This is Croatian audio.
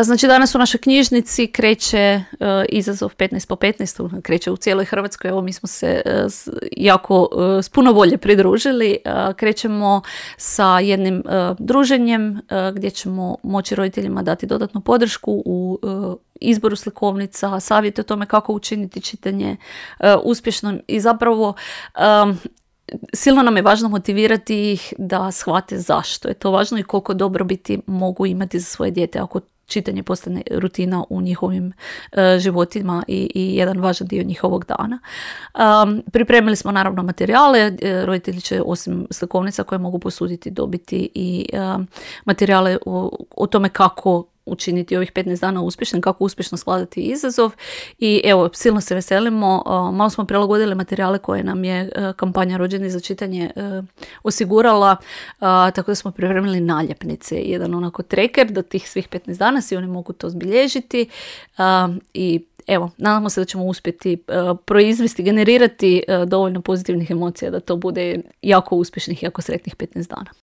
Znači danas u našoj knjižnici kreće izazov 15 po 15, kreće u cijeloj Hrvatskoj. Evo mi smo se jako s puno volje pridružili. Krećemo sa jednim druženjem gdje ćemo moći roditeljima dati dodatnu podršku u izboru slikovnica, savjete o tome kako učiniti čitanje uspješno i zapravo silno nam je važno motivirati ih da shvate zašto je to važno i koliko dobrobiti mogu imati za svoje dijete ako čitanje postane rutina u njihovim životima i jedan važan dio njihovog dana. Pripremili smo naravno materijale, roditelji će osim slikovnica koje mogu posuditi dobiti i materijale o tome kako učiniti ovih 15 dana uspješnim, kako uspješno skladati izazov i evo, silno se veselimo. Malo smo prilagodili materijale koje nam je kampanja Rođeni za čitanje osigurala, tako da smo pripremili naljepnice, jedan onako tracker do tih svih 15 dana, svi oni mogu to zbilježiti i evo, nadamo se da ćemo uspjeti proizvesti, generirati dovoljno pozitivnih emocija da to bude jako uspješnih, jako sretnih 15 dana.